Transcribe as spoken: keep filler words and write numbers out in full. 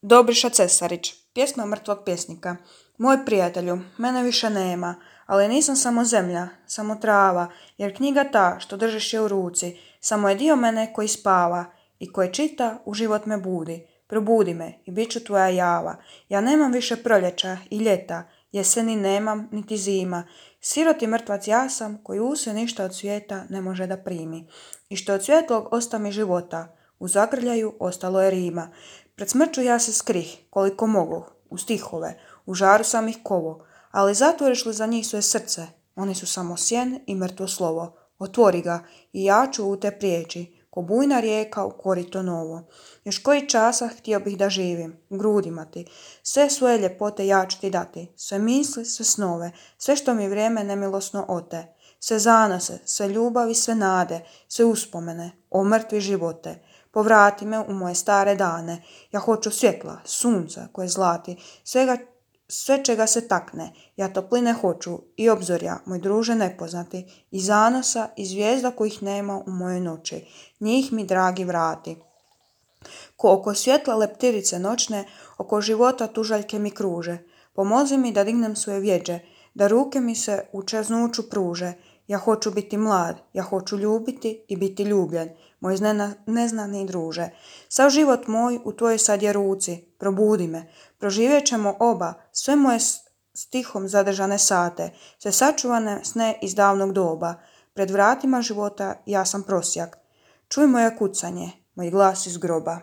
Dobriša Cesarić, pjesma mrtvog pjesnika. Moj prijatelju, mene više nema, ali nisam samo zemlja, samo trava, jer knjiga ta što držiš je u ruci, samo je dio mene koji spava i koji čita u život me budi. Probudi me i bit ću tvoja java. Ja nemam više proljeća i ljeta, jeseni nemam niti zima. Siroti mrtvac ja sam koji u se ništa od svijeta ne može da primi. I što od svjetlog osta mi života, u zagrljaju ostalo je rima. Pred smrću ja se skrih, koliko mogu, u stihove, u žaru sam ih kovo, ali zatvoriš li za njih svoje srce, oni su samo sjen i mrtvo slovo. Otvori ga i ja ću u te prijeći, ko bujna rijeka u korito novo. Još koji časa htio bih da živim, u grudima ti, sve svoje ljepote ja ću ti dati, sve misli, sve snove, sve što mi vrijeme nemilosno ote, sve zanose, sve ljubavi, sve nade, sve uspomene, o mrtvi živote. Povrati me u moje stare dane, ja hoću svjetla, sunca koje zlati, svega, sve čega se takne, ja topline hoću i obzorja, moj druže nepoznati, i zanosa i zvijezda kojih nema u mojoj noći, njih mi dragi vrati. Ko oko svjetla leptirice noćne, oko života tužaljke mi kruže, pomozi mi da dignem svoje vjeđe, da ruke mi se u čeznuću pruže, ja hoću biti mlad, ja hoću ljubiti i biti ljubljen, moj znena, neznani druže. Sav život moj u tvojoj sad je ruci, probudi me, proživjet ćemo oba sve moje stihom zadržane sate, sve sačuvane sne iz davnog doba. Pred vratima života ja sam prosjak. Čuj moje kucanje, moj glas iz groba.